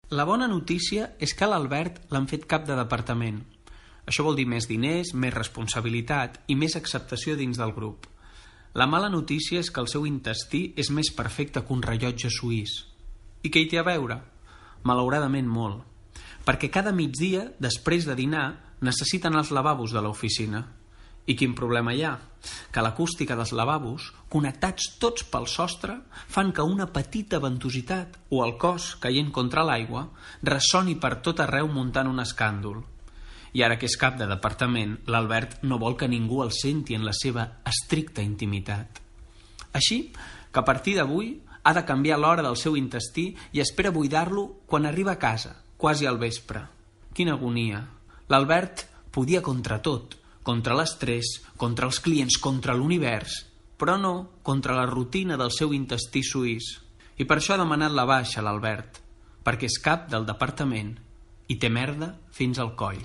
La bona notícia és que a l'Albert l'han fet cap de departament. Això vol dir més diners, més responsabilitat i més acceptació dins del grup. La mala notícia és que el seu intestí és més perfecte que un rellotge suís. I què hi té a veure? Malauradament molt. Perquè cada migdia, després de dinar, necessiten els lavabos de l'oficina. I quin problema hi ha? Que l'acústica dels lavabos, connectats tots pel sostre, fan que una petita ventositat o el cos caient contra l'aigua ressoni per tot arreu muntant un escàndol. I ara que és cap de departament, l'Albert no vol que ningú el senti en la seva estricta intimitat. Així que a partir d'avui ha de canviar l'hora del seu intestí i espera buidar-lo quan arriba a casa, quasi al vespre. Quina agonia! L'Albert podia contra tot, contra l'estrès, contra els clients, contra l'univers, però no contra la rutina del seu intestí suís. I per això ha demanat la baixa l'Albert, perquè és cap del departament i té merda fins al coll.